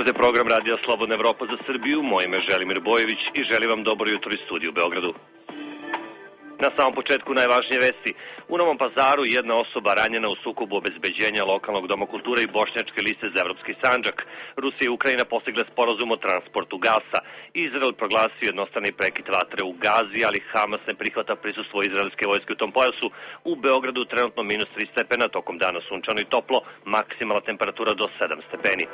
Slušate program Radija Slobodna Evropa za Srbiju. Moje ime je Želimir Bojević i želim vam dobro jutro iz studija u Beogradu. Na samom početku najvažnije vesti. U Novom Pazaru jedna osoba ranjena u sukobu obezbeđenja lokalnog doma kulture i bošnjačke liste za Evropski Sandžak. Rusija i Ukrajina postigle sporazum o transportu gasa. Izrael proglasio jednostrani prekid vatre u Gazi, ali Hamas ne prihvata prisustvo izraelske vojske u tom pojasu. U Beogradu trenutno minus 3 stepena, tokom dana sunčano i toplo, maksimalna temperatura do 7 stepeni.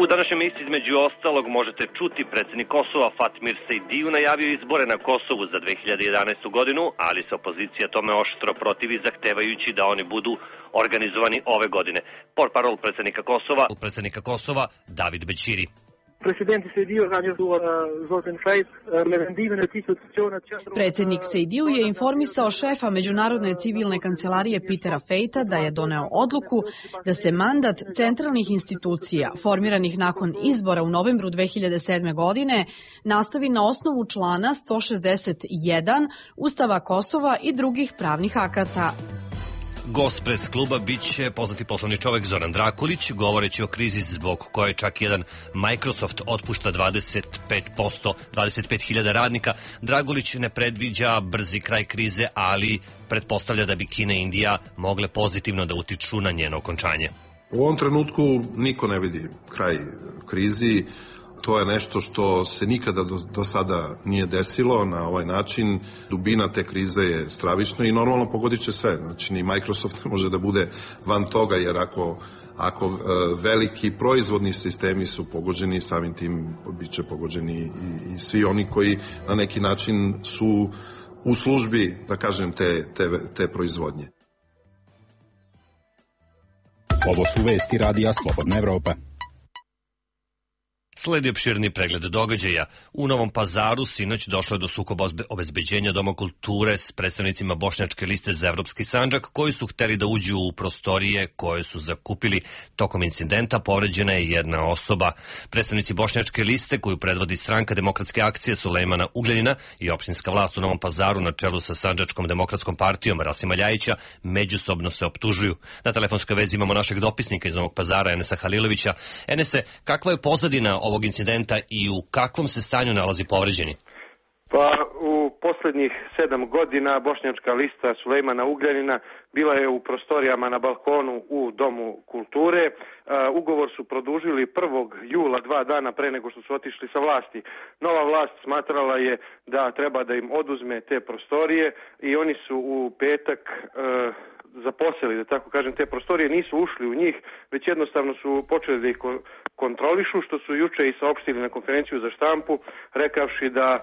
U današnjem emisiji između ostalog možete čuti predsjednik Kosova Fatmir Sejdiju najavio izbore na Kosovu za 2011. godinu, ali se opozicija tome oštro protivi zahtevajući da oni budu organizovani ove godine. Portparol predsjednika Kosova David Bećiri. Predsjednik Sejdiju je informisao šefa Međunarodne civilne kancelarije Petera Fejta da je doneo odluku da se mandat centralnih institucija formiranih nakon izbora u novembru 2007. godine nastavi na osnovu člana 161 Ustava Kosova i drugih pravnih akata. Gost pres kluba biće poznati poslovni čovek Zoran Drakulić, govoreći o krizi zbog koje čak jedan Microsoft otpušta 25.000 radnika. Drakulić ne predviđa brzi kraj krize, ali pretpostavlja da bi Kina i Indija mogle pozitivno da utiču na njeno okončanje. U ovom trenutku niko ne vidi kraj krizi. To je nešto što se nikada do sada nije desilo na ovaj način. Dubina te krize je stravična i normalno pogodit će sve. Znači, ni Microsoft ne može da bude van toga, jer ako veliki proizvodni sistemi su pogođeni, samim tim bit će pogođeni i svi oni koji na neki način su u službi, da kažem, te proizvodnje. Ovo su vesti Radija Slobodna Evropa. Sledi opširni pregled događaja. U Novom Pazaru sinoć došlo je do sukoba obezbeđenja Doma kulture s predstavnicima bošnjačke liste za Evropski Sandžak, koji su hteli da uđu u prostorije koje su zakupili. Tokom incidenta povređena je jedna osoba. Predstavnici bošnjačke liste, koju predvodi Stranka demokratske akcije Sulejmana Ugljanina i opštinska vlast u Novom Pazaru na čelu sa Sandžačkom demokratskom partijom Rasima Ljajića, međusobno se optužuju. Na telefonskoj vezi imamo našeg dopisnika iz Novog Pazara, Enesa Halilovića. Enese, kakva je pozadina ovog incidenta i u kakvom se stanju nalazi povređeni? Pa u posljednjih 7 godina bošnjačka lista Sulejmana Ugljanina bila je u prostorijama na balkonu u Domu kulture. Ugovor su produžili 1. jula, 2 dana pre nego što su otišli sa vlasti. Nova vlast smatrala je da treba da im oduzme te prostorije i oni su u petak zaposeli, da tako kažem, te prostorije, nisu ušli u njih, već jednostavno su počeli da ih kontrolišu, što su juče i saopštili na konferenciju za štampu, rekavši da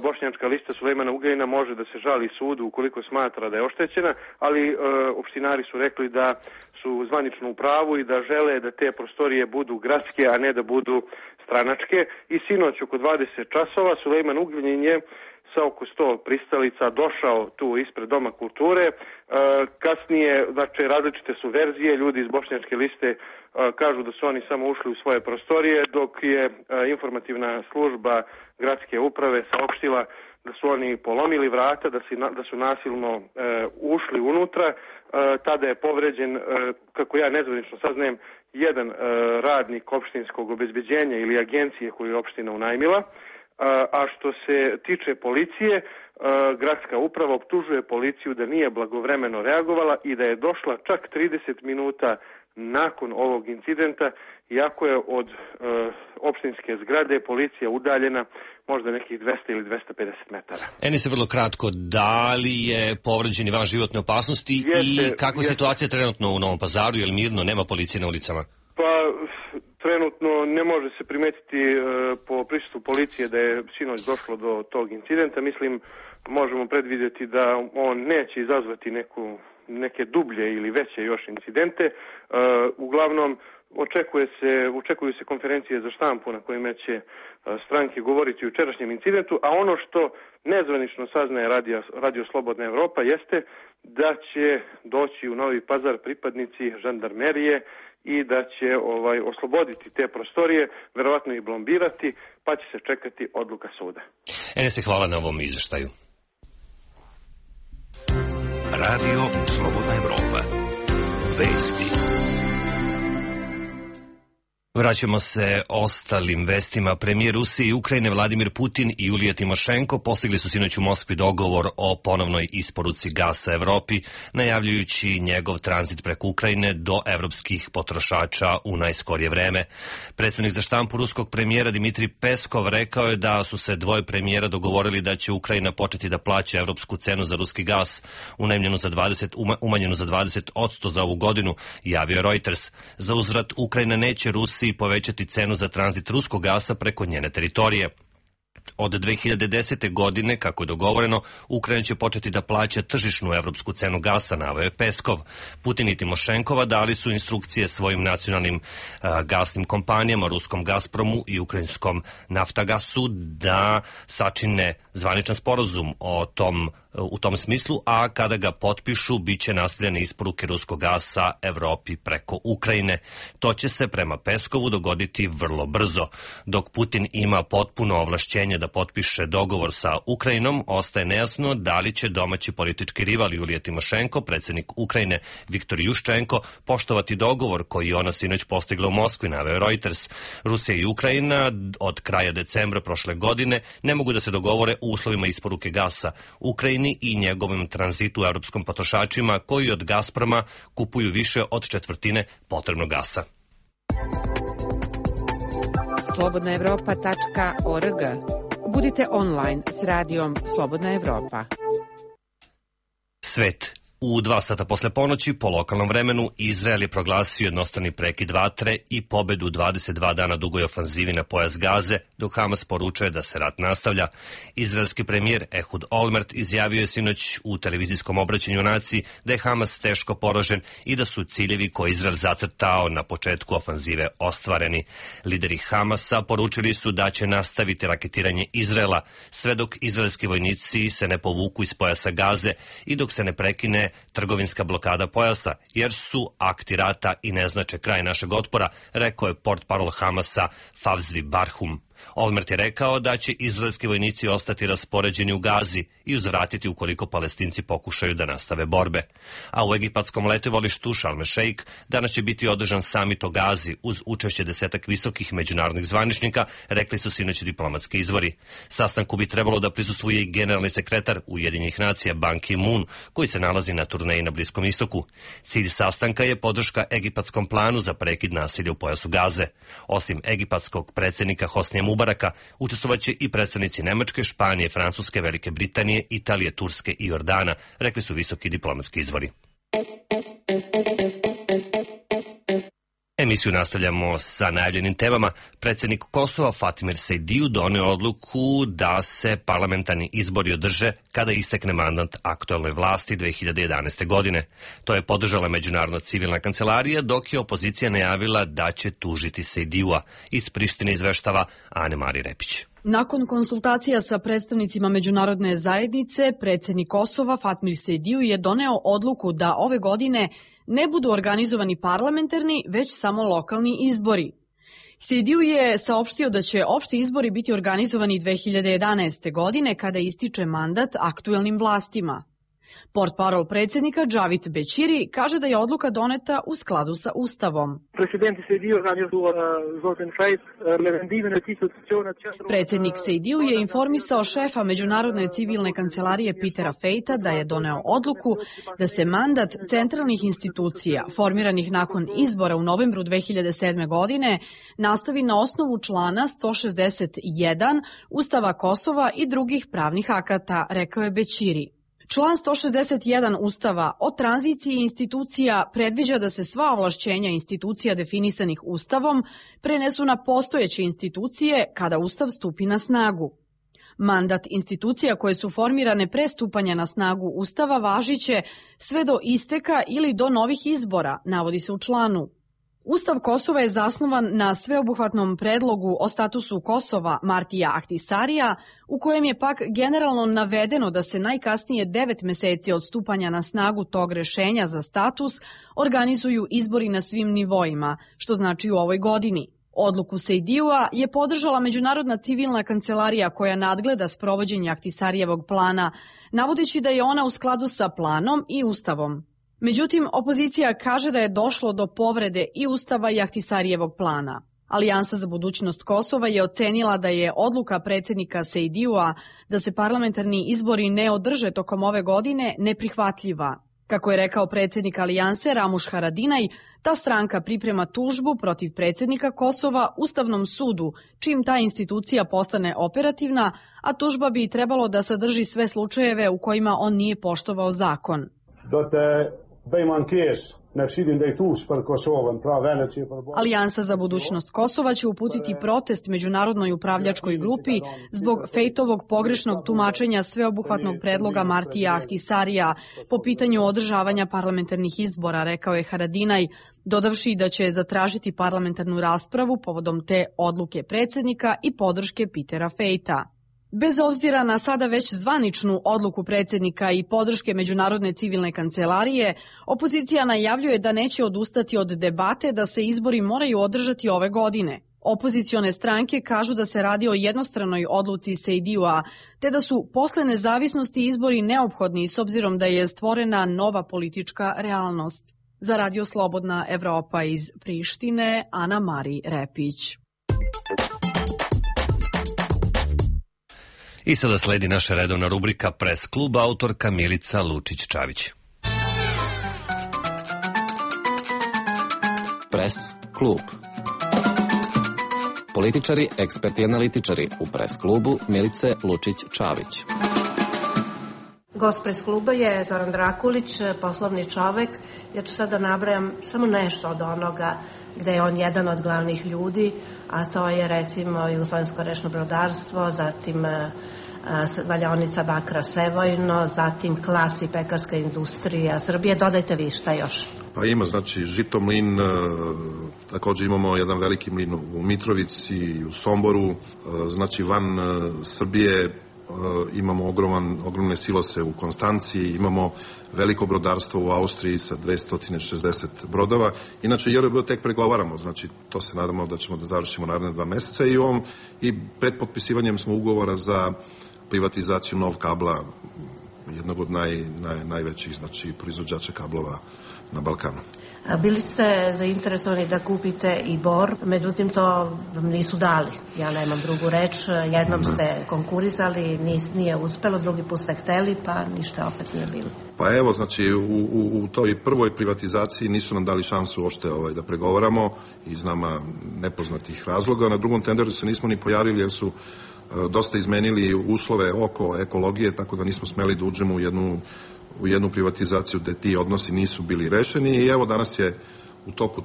bošnjačka lista Sulejmana Ugljanina može da se žali sudu ukoliko smatra da je oštećena, ali opštinari su rekli da su zvanično u pravu i da žele da te prostorije budu gradske, a ne da budu stranačke. I sinoć oko 20 časova Sulejman Ugljanin je sa oko 100 pristalica došao tu ispred Doma kulture. Kasnije, znači, različite su verzije, ljudi iz bošnjačke liste kažu da su oni samo ušli u svoje prostorije, dok je informativna služba gradske uprave saopštila da su oni polomili vrata, da su nasilno ušli unutra. Tada je povređen, kako ja nezvanično saznajem, jedan radnik opštinskog obezbeđenja ili agencije koju je opština unajmila. A što se tiče policije, gradska uprava optužuje policiju da nije blagovremeno reagovala i da je došla čak 30 minuta nakon ovog incidenta, iako je od opštinske zgrade policija udaljena možda nekih 200 ili 250 metara. Eni se vrlo kratko, da li je povređeni van životne opasnosti i kakva je situacija trenutno u Novom Pazaru, je li mirno, nema policije na ulicama? Pa trenutno ne može se primetiti po prisustvu policije da je sinoć došlo do tog incidenta. Mislim, možemo predvidjeti da on neće izazvati neke dublje ili veće još incidente. Uglavnom, očekuju se konferencije za štampu na kojima će stranke govoriti o jučerašnjem incidentu, a ono što nezvanično saznaje Radio Slobodna Evropa jeste da će doći u Novi Pazar pripadnici žandarmerije i da će osloboditi te prostorije, verovatno ih blombirati, pa će se čekati odluka suda. Enese, hvala na ovom izveštaju. Radio Slobodna Evropa. Vesti. Vraćamo se ostalim vestima. Premijer Rusije i Ukrajine Vladimir Putin i Julija Timošenko postigli su sinoć u Moskvi dogovor o ponovnoj isporuci gasa Evropi, najavljujući njegov tranzit preko Ukrajine do evropskih potrošača u najskorije vreme. Predstavnik za štampu ruskog premijera Dimitrij Peskov rekao je da su se dvoje premijera dogovorili da će Ukrajina početi da plaća evropsku cenu za ruski gas, umanjenu za 20% za ovu godinu, javio Reuters. Za uzvrat Ukrajina neće Rusiji povećati cenu za tranzit ruskog gasa preko njene teritorije. Od 2010. godine, kako je dogovoreno, Ukrajina će početi da plaća tržišnu evropsku cenu gasa, naveo je Peskov. Putin i Timošenkova dali su instrukcije svojim nacionalnim gasnim kompanijama, ruskom Gazpromu i ukrajinskom Naftagasu, da sačine zvaničan sporazum u tom smislu, a kada ga potpišu, bit će nastavljene isporuke ruskog gasa Evropi preko Ukrajine. To će se prema Peskovu dogoditi vrlo brzo. Dok Putin ima potpuno ovlašćenje da potpiše dogovor sa Ukrajinom, ostaje nejasno da li će domaći politički rival Julija Timošenko, predsjednik Ukrajine Viktor Juščenko, poštovati dogovor koji je ona sinoć postigla u Moskvi, naveo Reuters. Rusija i Ukrajina od kraja decembra prošle godine ne mogu da se dogovore u uslovima isporuke gasa Ukrajini i njegovim tranzitu evropskom potrošačima koji od Gazproma kupuju više od četvrtine potrebnog gasa. slobodnaevropa.org. Budite online s radijom Slobodna Evropa. Svet. U 2 sata posle ponoći, po lokalnom vremenu, Izrael je proglasio jednostrani prekid vatre i pobedu 22 dana dugoj ofanzivi na pojas Gaze, dok Hamas poručuje da se rat nastavlja. Izraelski premijer Ehud Olmert izjavio je sinoć u televizijskom obraćanju naciji da je Hamas teško poražen i da su ciljevi koje Izrael zacrtao na početku ofanzive ostvareni. Lideri Hamasa poručili su da će nastaviti raketiranje Izraela sve dok izraelski vojnici se ne povuku iz pojasa Gaze i dok se ne prekine trgovinska blokada pojasa, jer su akti rata i ne znače kraj našeg otpora, rekao je portparol Hamasa Favzvi Barhum. Olmert je rekao da će izraelski vojnici ostati raspoređeni u Gazi i uzvratiti ukoliko Palestinci pokušaju da nastave borbe. A u egipatskom letovalištu Sharm el-Sheikh danas će biti održan samit o Gazi uz učešće 10 visokih međunarodnih zvaničnika, rekli su sinoć diplomatski izvori. Sastanku bi trebalo da prisustvuje i generalni sekretar Ujedinjenih nacija Ban Ki-moon, koji se nalazi na turneji na Bliskom istoku. Cilj sastanka je podrška egipatskom planu za prekid nasilja u pojasu Gaze. Osim egipatskog predsjednika Hosnija Mubaraka, učestvovaće i predstavnici Nemačke, Španije, Francuske, Velike Britanije, Italije, Turske i Jordana, rekli su visoki diplomatski izvori. Emisiju nastavljamo sa najavljenim temama. Predsjednik Kosova Fatimir Sejdiju doneo odluku da se parlamentarni izbori održe kada istekne mandat aktuelnoj vlasti 2011. godine. To je podržala Međunarodna civilna kancelarija, dok je opozicija najavila da će tužiti Sejdijua. Iz Prištine izveštava Ane-Mari Repić. Nakon konsultacija sa predstavnicima međunarodne zajednice, predsjednik Kosova Fatmir Sejdiju je doneo odluku da ove godine ne budu organizovani parlamentarni, već samo lokalni izbori. Sejdiju je saopštio da će opšti izbori biti organizovani 2011. godine kada ističe mandat aktuelnim vlastima. Portparol predsjednika Džavit Bećiri kaže da je odluka doneta u skladu sa Ustavom. Predsjednik Sejdiju je informisao šefa Međunarodne civilne kancelarije Petera Fejta da je doneo odluku da se mandat centralnih institucija formiranih nakon izbora u novembru 2007. godine nastavi na osnovu člana 161 Ustava Kosova i drugih pravnih akata, rekao je Bećiri. Član 161 Ustava o tranziciji institucija predviđa da se sva ovlašćenja institucija definisanih Ustavom prenesu na postojeće institucije kada Ustav stupi na snagu. Mandat institucija koje su formirane pre stupanja na snagu Ustava važiće sve do isteka ili do novih izbora, navodi se u članu. Ustav Kosova je zasnovan na sveobuhvatnom predlogu o statusu Kosova Martija Ahtisarija, u kojem je pak generalno navedeno da se najkasnije 9 meseci od stupanja na snagu tog rešenja za status organizuju izbori na svim nivoima, što znači u ovoj godini. Odluku Sejdijua je podržala Međunarodna civilna kancelarija koja nadgleda sprovođenje Ahtisarijevog plana, navodeći da je ona u skladu sa planom i Ustavom. Međutim, opozicija kaže da je došlo do povrede i Ustava i Ahtisarijevog plana. Alijansa za budućnost Kosova je ocenila da je odluka predsjednika Sejdijua da se parlamentarni izbori ne održe tokom ove godine neprihvatljiva. Kako je rekao predsjednik Alijanse Ramuš Haradinaj, ta stranka priprema tužbu protiv predsjednika Kosova Ustavnom sudu, čim ta institucija postane operativna, a tužba bi trebalo da sadrži sve slučajeve u kojima on nije poštovao zakon. Alijansa za budućnost Kosova će uputiti protest međunarodnoj upravljačkoj grupi zbog Fejtovog pogrešnog tumačenja sveobuhvatnog predloga Martija Ahtisarija po pitanju održavanja parlamentarnih izbora, rekao je Haradinaj, dodavši da će zatražiti parlamentarnu raspravu povodom te odluke predsjednika i podrške Petera Fejta. Bez obzira na sada već zvaničnu odluku predsjednika i podrške Međunarodne civilne kancelarije, opozicija najavljuje da neće odustati od debate da se izbori moraju održati ove godine. Opozicione stranke kažu da se radi o jednostranoj odluci Sejdijua, te da su posle nezavisnosti izbori neophodni s obzirom da je stvorena nova politička realnost. Za Radio Slobodna Evropa iz Prištine, Ana Mari Repić. I sada sledi naša redovna rubrika Pres klub, autorka Milica Lučić-Čavić. Pres klub. Političari, eksperti i analitičari u Pres klubu Milice Lučić-Čavić. Gost Pres kluba je Zoran Drakulić, poslovni čovek. Ja ću sada nabrajam samo nešto od onoga gde je on jedan od glavnih ljudi, a to je recimo Jugoslovensko rечно brodarstvo, zatim valjaonica bakra Sevojno, zatim Klas i pekarska industrija Srbije. Dodajte vi šta još. Pa ima, znači, Žitomlin, takođe imamo jedan veliki mlin u Mitrovici, u Somboru, znači van Srbije imamo ogromne silose u Konstanciji, imamo veliko brodarstvo u Austriji sa 260 brodova. Inače, JRB tek pregovaramo, znači to se nadamo da ćemo da završimo naredne 2 meseca i pred potpisivanjem smo ugovora za privatizaciju Nov kabla, jednog od najvećih, znači, proizvođača kablova na Balkanu. Bili ste zainteresovani da kupite i Bor, međutim to vam nisu dali. Ja nemam drugu reč. Jednom ste konkurisali, nije uspelo, drugi put ste hteli, pa ništa opet nije bilo. Pa evo, znači, u toj prvoj privatizaciji nisu nam dali šansu uopšte da pregovaramo iz nama nepoznatih razloga. Na drugom tenderu se nismo ni pojavili jer su dosta izmenili uslove oko ekologije, tako da nismo smeli da uđemo u jednu privatizaciju gde ti odnosi nisu bili rešeni i evo danas je u toku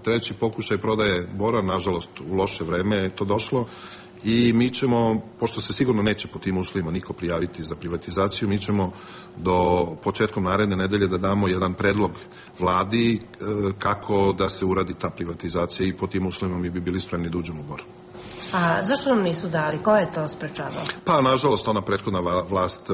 treći pokušaj prodaje Bora, nažalost u loše vreme je to došlo i mi ćemo, pošto se sigurno neće po tim uslovima niko prijaviti za privatizaciju, mi ćemo do početkom naredne nedelje da damo jedan predlog vladi kako da se uradi ta privatizacija i po tim uslovima mi bi bili spremni da uđemo u Bor. A zašto nam nisu dali? Ko je to sprečavao? Pa, nažalost, ona prethodna vlast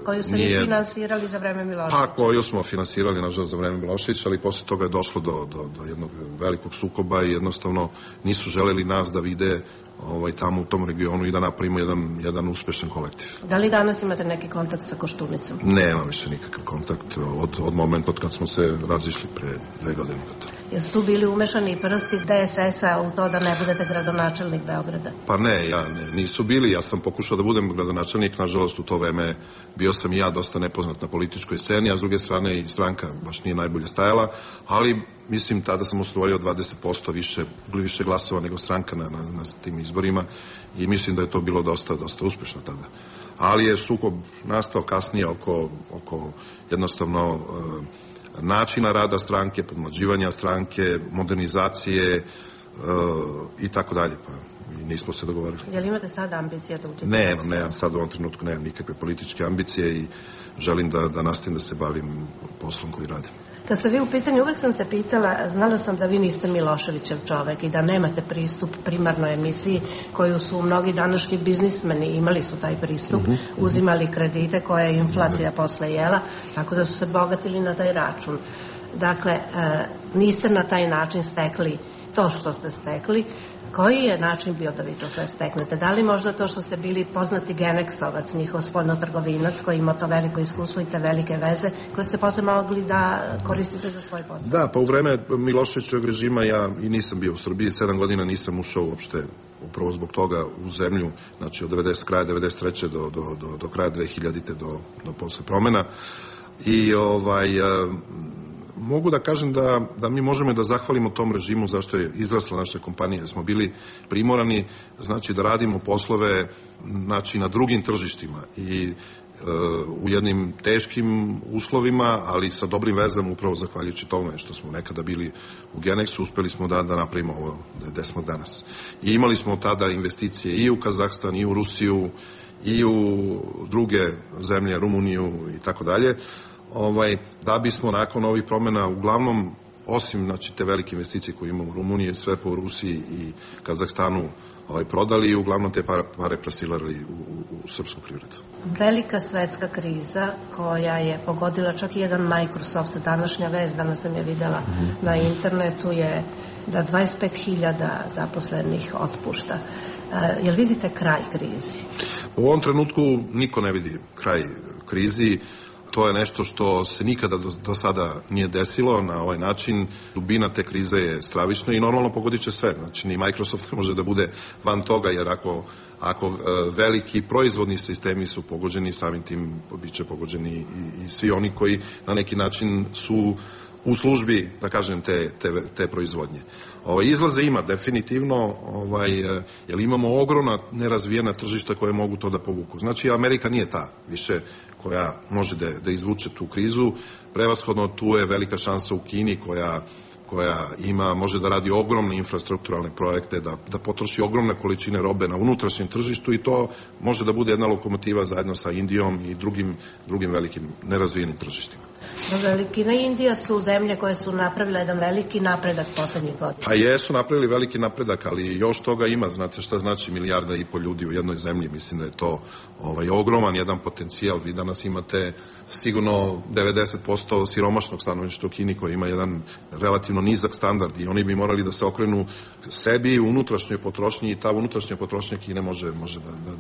koju ste vi finansirali za vreme Miloševića? Pa, koju smo finansirali, nažalost, za vreme Miloševića, ali posle toga je došlo do jednog velikog sukoba i jednostavno nisu želeli nas da vide tamo u tom regionu i da napravimo jedan uspešan kolektiv. Da li danas imate neki kontakt sa Koštunicom? Nemam više nikakav kontakt od momenta od kad smo se razišli pre 2 godine. Jesu tu bili umešani i prsti DSS-a u to da ne budete gradonačelnik Beograda? Pa ne, nisu bili. Ja sam pokušao da budem gradonačelnik, nažalost u to vreme bio sam i ja dosta nepoznat na političkoj sceni, a s druge strane i stranka baš nije najbolje stajala, ali mislim tada sam osvojio 20% više glasova nego stranka na tim izborima i mislim da je to bilo dosta uspešno tada. Ali je sukob nastao kasnije oko jednostavno načina rada stranke, podmlađivanja stranke, modernizacije i tako dalje, pa nismo se dogovorili. Je li imate sada ambicije da uđete? Nemam sad u ovom trenutku, nemam nikakve političke ambicije i želim da nastavim da se bavim poslom koji radim. Kad ste vi u pitanju, uvek sam se pitala, znala sam da vi niste Miloševićev čovek i da nemate pristup primarnoj emisiji koju su mnogi današnji biznismeni imali su taj pristup, uzimali kredite koje je inflacija posle jela, tako da su se bogatili na taj račun. Dakle, niste na taj način stekli to što ste stekli, koji je način bio da vi to sve steknete? Da li možda to što ste bili poznati Geneksovac, njihov spoljnotrgovinac koji ima to veliko iskustvo i te velike veze, koje ste posle mogli da koristite za svoj posao? Da, pa u vreme Miloševićevog režima ja i nisam bio u Srbiji, 7 godina nisam ušao uopšte upravo zbog toga u zemlju, znači od kraja 93. do kraja 2000. do posle promena. I mogu da kažem da mi možemo da zahvalimo tom režimu zašto je izrasla naša kompanija. Smo bili primorani, znači, da radimo poslove, znači, na drugim tržištima i u jednim teškim uslovima, ali sa dobrim vezama, upravo zahvaljujući tome što smo nekada bili u Geneksu, uspeli smo da napravimo ovo gde smo danas. I imali smo tada investicije i u Kazahstan, i u Rusiju, i u druge zemlje, Rumuniju i tako dalje, da bismo nakon ovih promena, uglavnom, osim, znači, te velike investicije koje imamo u Rumuniji, sve po Rusiji i Kazahstanu prodali i uglavnom te pare plasirali u srpsku privredu. Velika svetska kriza koja je pogodila čak i jedan Microsoft, današnja vest, danas sam je videla na internetu, je da 25.000 zaposlenih otpušta. Jel vidite kraj krizi? U ovom trenutku niko ne vidi kraj krizi. To je nešto što se nikada do sada nije desilo na ovaj način. Dubina te krize je stravična i normalno pogodit će sve. Znači, ni Microsoft ne može da bude van toga, jer ako veliki proizvodni sistemi su pogođeni, samim tim bit će pogođeni i svi oni koji na neki način su u službi, da kažem, te proizvodnje. Izlaze ima definitivno, jer imamo ogromna nerazvijena tržišta koje mogu to da povuku. Znači, Amerika nije ta više koja može da izvuče tu krizu. Prevashodno tu je velika šansa u Kini koja može da radi ogromne infrastrukturalne projekte, da potroši ogromne količine robe na unutrašnjem tržištu i to može da bude jedna lokomotiva zajedno sa Indijom i drugim velikim nerazvijenim tržištima. Kina i Indija su zemlje koje su napravile jedan veliki napredak poslednjih godina. Pa jesu napravili veliki napredak, ali još toga ima. Znate šta znači 1,5 milijarda ljudi u jednoj zemlji? Mislim da je to ogroman jedan potencijal. Vi danas imate sigurno 90% siromašnog stanovništva u Kini koji ima jedan relativno nizak standard i oni bi morali da se okrenu sebi u unutrašnjoj potrošnji i ta unutrašnja potrošnja Kine može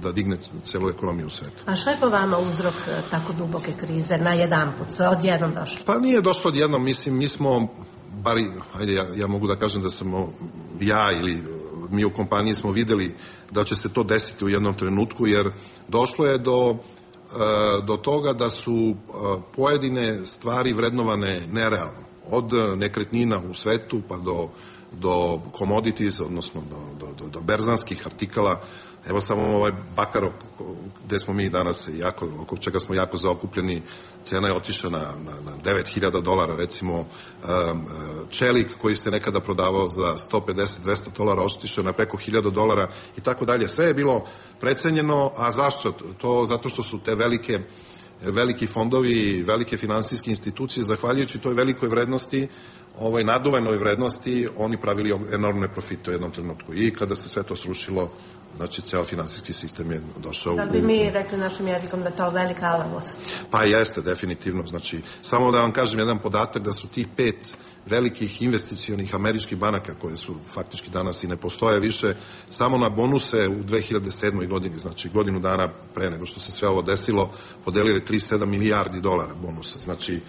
da digne celu ekonomiju u svetu. A šta je po vama uzrok tako duboke krize na jedanput? Odjednom došlo? Pa nije došlo odjednom. Mislim, mi smo, ja mogu da kažem da sam ja ili mi u kompaniji smo videli da će se to desiti u jednom trenutku, jer došlo je do toga da su pojedine stvari vrednovane nerealno. Od nekretnina u svetu pa do commodities, odnosno do berzanskih artikala. Evo samo ovaj bakar gde smo mi danas, oko čega smo jako zaokupljeni, cena je otišla na $9.000, recimo čelik koji se nekada prodavao za $150-200 otišao na preko $1.000 i tako dalje. Sve je bilo precenjeno, a zašto? To zato što su te veliki fondovi, velike finansijske institucije, zahvaljujući toj velikoj vrednosti, naduvenoj vrednosti, oni pravili enormne profite u jednom trenutku. I kada se sve to srušilo, znači, ceo finansijski sistem je došao da bi mi rekli našim jezikom da je to velika alavost. Pa jeste, definitivno. Znači, samo da vam kažem jedan podatak da su tih 5 velikih investicionih američkih banaka, koje su faktički danas i ne postoje više, samo na bonuse u 2007. godini, znači godinu dana pre nego što se sve ovo desilo, podelili $37 milijardi bonusa. Znači,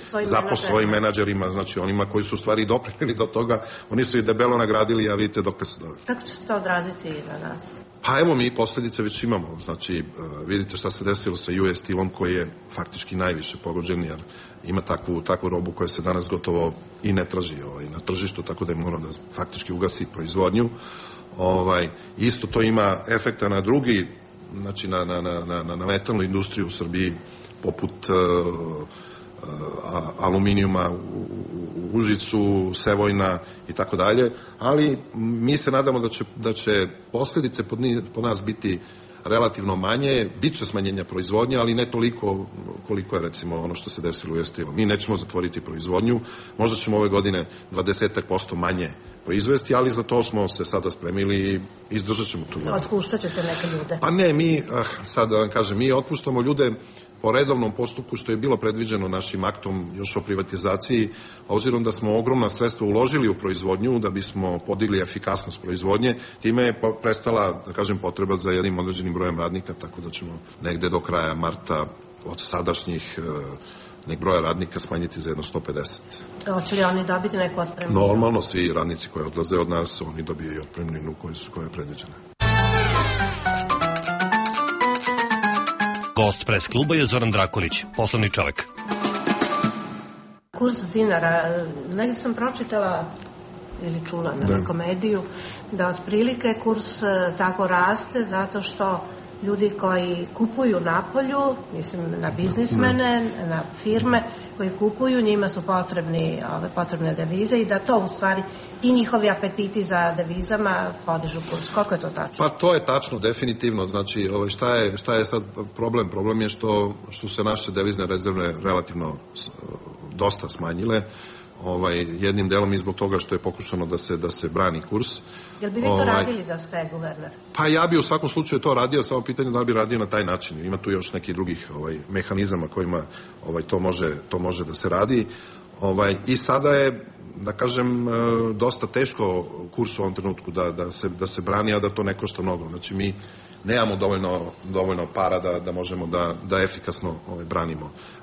svojim menadžerima, znači onima koji su u stvari doprineli do toga, oni su i debelo nagradili, a vidite dok se doveli. Kako će se to odraziti na nas? Pa evo, mi posledice već imamo. Znači, vidite šta se desilo sa US Steel-om koji je faktički najviše pogođen, jer ima takvu robu koja se danas gotovo i ne traži na tržištu, tako da je morao da faktički ugasi proizvodnju. Isto to ima efekta na drugi, znači na metalnu industriju u Srbiji, poput aluminijuma u Užicu, Sevojna i tako dalje, ali mi se nadamo da će posledice po nas biti relativno manje, bit će smanjenja proizvodnje, ali ne toliko koliko je recimo ono što se desilo u Estilu. Mi nećemo zatvoriti proizvodnju, možda ćemo ove godine 20% manje proizvesti, ali za to smo se sada spremili i izdržat ćemo tu. Otpuštat ćete neke ljude? Pa ne, mi, sad da vam kažem, mi otpuštamo ljude po redovnom postupku što je bilo predviđeno našim aktom još o privatizaciji, obzirom da smo ogromna sredstva uložili u proizvodnju da bismo podigli efikasnost proizvodnje, time je prestala, da kažem, potreba za jednim određenim brojem radnika, tako da ćemo negde do kraja marta od sadašnjih nek broja radnika smanjiti za jedno 150. Hoće li oni dobiti neku otpremninu? Normalno, svi radnici koji odlaze od nas, oni dobiju otpremninu koja je predviđena. Gost pres kluba je Zoran Drakulić, poslovni čovek. Kurs dinara, negdje sam pročitala ili čula na komediju, da otprilike kurs tako raste zato što ljudi koji kupuju napolju, mislim na biznismene, na firme koji kupuju, njima su potrebne devize i da to u stvari i njihovi apetiti za devizama podižu kurs. Koliko je to tačno? Pa to je tačno, definitivno. Znači, šta je sad problem? Problem je što su se naše devizne rezerve relativno dosta smanjile. Jednim delom i zbog toga što je pokušano da se brani kurs. Jel bi vi to radili da ste guverner? Pa ja bi u svakom slučaju to radio, samo pitanje da li bi radio na taj način. Ima tu još nekih drugih mehanizama kojima to može da se radi. I sada je, da kažem, dosta teško kurs u ovom trenutku da se brani, a da to ne košta mnogo. Znači mi nemamo dovoljno para da možemo da efikasno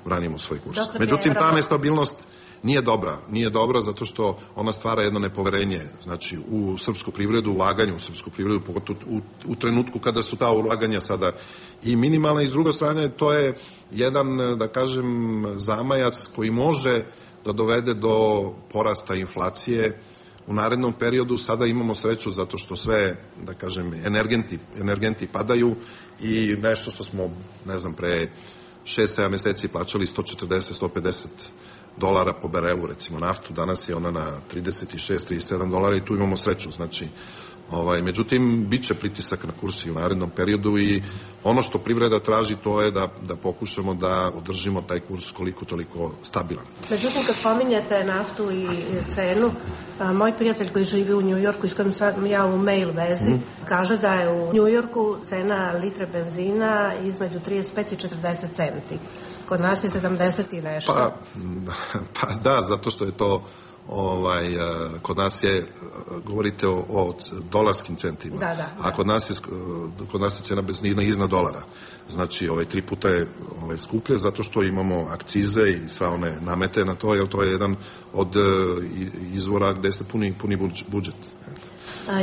branimo svoj kurs. Međutim, ta nestabilnost nije dobra zato što ona stvara jedno nepoverenje, znači u srpsku privredu, ulaganje u srpsku privredu, pogotovo u trenutku kada su ta ulaganja sada i minimalna, i s druge strane to je jedan, da kažem, zamajac koji može da dovede do porasta inflacije u narednom periodu. Sada imamo sreću zato što sve, da kažem, energenti padaju i nešto što smo, ne znam, pre 6-7 meseci plaćali $140-150 po barelu, recimo naftu, danas je ona na $36-37 i tu imamo sreću, znači međutim, bit će pritisak na kurs i u narednom periodu i ono što privreda traži to je da pokušamo da održimo taj kurs koliko toliko stabilan. Međutim, kad pominjete naftu i cenu, moj prijatelj koji živi u Njujorku, s kojim sam ja u mail vezi, kaže da je u Njujorku cena litre benzina između 35 i 40 centi. Kod nas je 70 i nešto. Pa da, zato što je to kod nas je, govorite o dolarskim centima, a kod nas je cena benzina iznad dolara. Znači, 3 puta je skuplje zato što imamo akcize i sva one namete na to, jer to je jedan od izvora gde se puni budžet.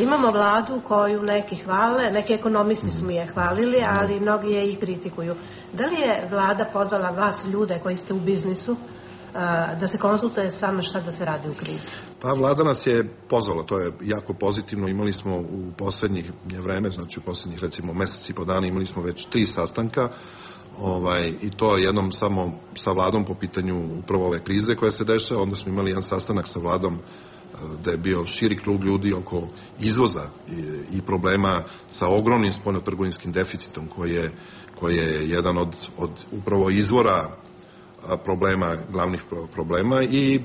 Imamo vladu koju neki hvale, neki ekonomisti su mi je hvalili, ali mnogi je ih kritikuju. Da li je vlada pozvala vas, ljude koji ste u biznisu, da se konsultuje s vama šta da se radi u krizi? Pa vlada nas je pozvala, to je jako pozitivno. Imali smo u poslednjih vreme, znači u poslednjih recimo mesec i po dana imali smo već 3 sastanka i to jednom samo sa vladom po pitanju upravo ove krize koja se dešava, onda smo imali jedan sastanak sa vladom da je bio širi krug ljudi oko izvoza i problema sa ogromnim spoljnotrgovinskim deficitom koji je jedan od upravo izvora problema, glavnih problema, i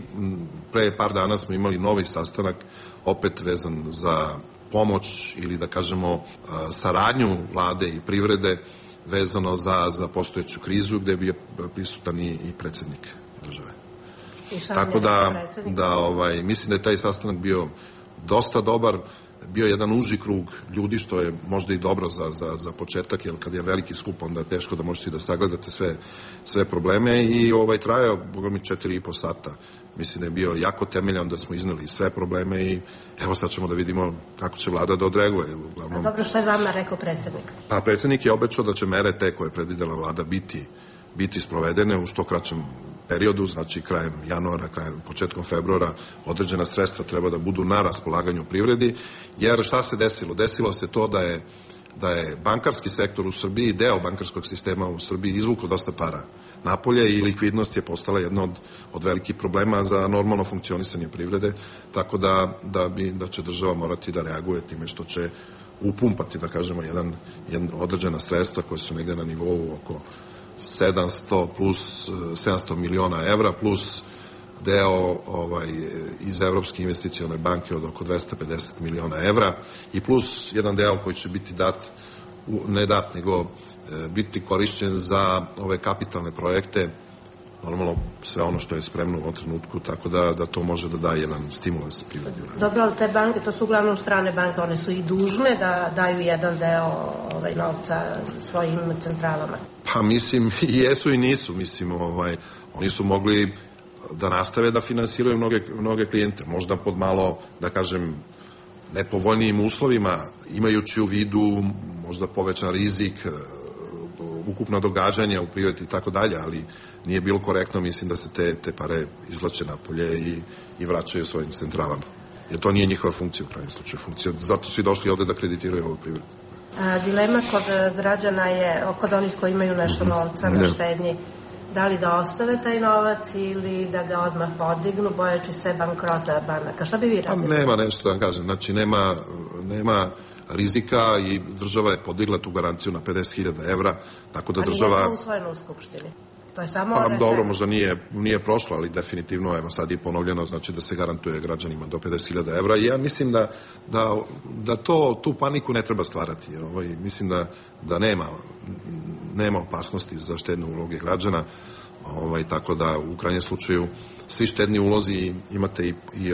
pre par dana smo imali novi sastanak opet vezan za pomoć ili da kažemo saradnju vlade i privrede vezano za postojeću krizu gde je bio prisutan i predsednik države. Tako da mislim da je taj sastanak bio dosta dobar, bio jedan uži krug ljudi, što je možda i dobro za početak, jer kad je veliki skup onda je teško da možete da sagledate sve probleme, i trajao, boga mi, 4,5 sata. Mislim da je bio jako temeljan, da smo izneli sve probleme i evo sad ćemo da vidimo kako će vlada da odreaguje. A dobro, što je vama rekao predsednik? Pa predsednik je obećao da će mere te koje je predvidela vlada biti sprovedene u što kraćem periodu, znači krajem januara, početkom februara, određena sredstva treba da budu na raspolaganju privredi, jer šta se desilo? Desilo se to da je bankarski sektor u Srbiji, deo bankarskog sistema u Srbiji izvukao dosta para napolje i likvidnost je postala jedna od velikih problema za normalno funkcionisanje privrede, tako da će država morati da reaguje time što će upumpati, da kažemo, jedan određena sredstva koja su negde na nivou oko 700 plus 700 miliona evra plus deo iz Evropske investicione banke od oko 250 miliona evra i plus jedan deo koji će biti nego biti korišćen za ove kapitalne projekte, normalno sve ono što je spremno u ovom trenutku, tako da to može da daje jedan stimulans privredi. Dobro, ali te banke, to su uglavnom strane banke, one su i dužne da daju jedan deo novca svojim centralama. Pa mislim, i jesu i nisu, mislim, oni su mogli da nastave da finansiraju mnoge klijente, možda pod malo, da kažem, nepovoljnijim uslovima, imajući u vidu možda povećan rizik, ukupna događanja u privredi i tako dalje, ali nije bilo korektno, mislim, da se te pare izvlače napolje i vraćaju svojim centralama. Jer to nije njihova funkcija u krajnjem slučaju. Zato su i došli ovde da kreditiraju ovu privredu. Dilema kod građana je, kod onih koji imaju nešto novca na štednji, da li da ostave taj novac ili da ga odmah podignu, bojeći se bankrota banaka. Šta bi vi radili? Nema nešto da vam kažem. Znači, nema rizika i država je podigla tu garanciju na 50.000 evra, tako da država... Ali nije to usvojeno u Skupštini. To je samo... Pa dobro, možda nije prošlo, ali definitivno, evo sad je ponovljeno, znači da se garantuje građanima do 50.000 evra i ja mislim da tu paniku ne treba stvarati. Mislim da nema opasnosti za štedne uloge građana, tako da u krajnjem slučaju svi štedni ulozi imate i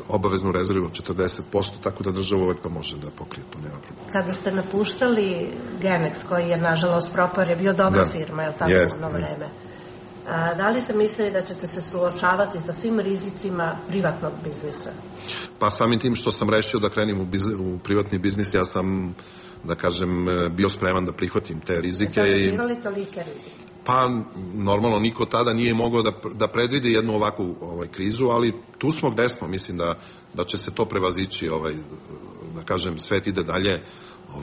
obaveznu rezervu od 40%, tako da država uvek to može da pokrije, to nema problema. Kada ste napuštali Genex, koji je nažalost propao, je bio dobra firma, je li tako, u ono vreme? Da li ste mislili da ćete se suočavati sa svim rizicima privatnog biznisa? Pa samim tim što sam rešio da krenim u privatni biznis, ja sam, da kažem, bio spreman da prihvatim te rizike. Sad ste imali tolike rizike? Pa, normalno, niko tada nije mogao da predvidi jednu ovakvu krizu, ali tu smo gde smo, mislim da će se to prevazići, da kažem, svet ide dalje,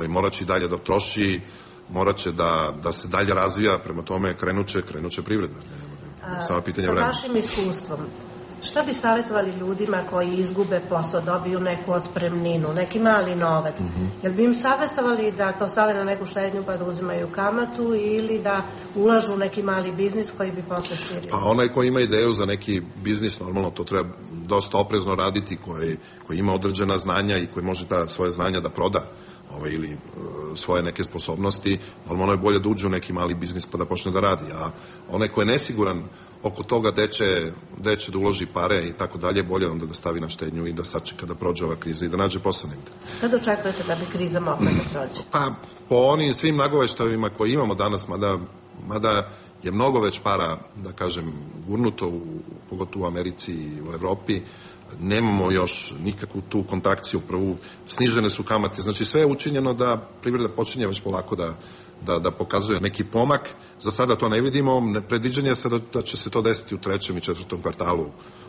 morat će i dalje da troši, morat će da se dalje razvija, prema tome krenuće privreda. Samo pitanje vremena. Sa vašim iskustvom, šta bi savjetovali ljudima koji izgube posao, dobiju neku otpremninu, neki mali novac? Jel bi im savjetovali da to stave na neku štednju pa da uzimaju kamatu ili da ulažu u neki mali biznis koji bi posle širio? Pa onaj koji ima ideju za neki biznis, normalno to treba dosta oprezno raditi, koji ima određena znanja i koji može svoje znanja da proda ili svoje neke sposobnosti, normalno je bolje da uđe u neki mali biznis pa da počne da radi, a onaj ko je nesiguran oko toga gde će da uloži pare i tako dalje, bolje onda da stavi na štednju i da sačeka da prođe ova kriza i da nađe posao negde. Kada očekujete da bi kriza mogla da prođe? Pa po onim svim nagoveštajima koje imamo danas, mada je mnogo već para, da kažem, gurnuto, pogotovo u Americi i u Evropi, nemamo još nikakvu tu kontrakciju prvu, snižene su kamate, znači sve je učinjeno da privreda počinje već polako da pokazuje neki pomak. Za sada to ne vidimo, predviđanje je da će se to desiti u 3. i 4. kvartalu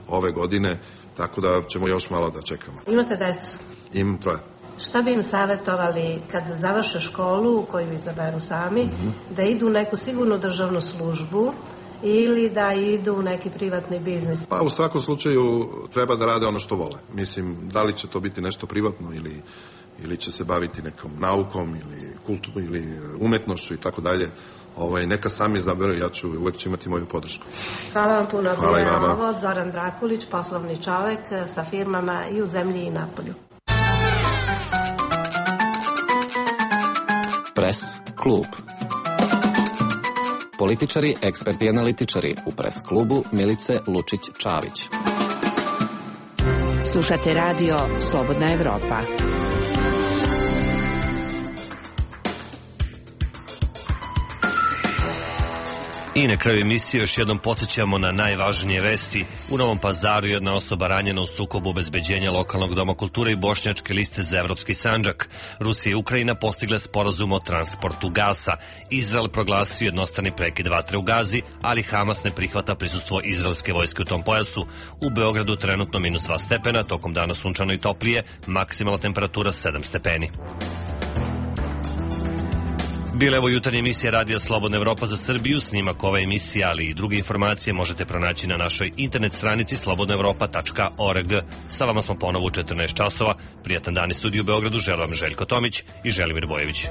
ove godine, tako da ćemo još malo da čekamo. Imate decu? Imam 3. Šta bi im savjetovali kad završe školu, koju izaberu sami, da idu u neku sigurnu državnu službu ili da idu u neki privatni biznis? Pa u svakom slučaju treba da rade ono što vole. Mislim, da li će to biti nešto privatno ili će se baviti nekom naukom ili umetnošću i tako dalje. Neka sami izaberu, uvek ću imati moju podršku. Hvala vam puno. Hvala i vama. Ovo Zoran Drakulić, poslovni čovek sa firmama i u zemlji i napolju. Pres klub. Političari, eksperti i analitičari u Pres klubu Milice Lučić-Čavić. Slušate radio Slobodna Evropa. I na kraju emisije još jednom podsjećamo na najvažnije vesti. U Novom Pazaru jedna osoba ranjena u sukobu obezbeđenja lokalnog doma kulture i Bošnjačke liste za Evropski Sandžak. Rusija i Ukrajina postigle sporazum o transportu gasa. Izrael proglasio jednostrani prekid vatre u Gazi, ali Hamas ne prihvata prisustvo izraelske vojske u tom pojasu. U Beogradu trenutno -2 stepena, tokom dana sunčano i toplije, maksimalna temperatura 7 stepeni. Bila je ovo jutarnja emisija Radija Slobodna Evropa za Srbiju. Snimak ove emisije, ali i druge informacije možete pronaći na našoj internet stranici slobodnaevropa.org. Sa vama smo ponovo u 14 časova. Prijatan dan iz studiju u Beogradu. Želim vam Željko Tomić i Želimir Bojević.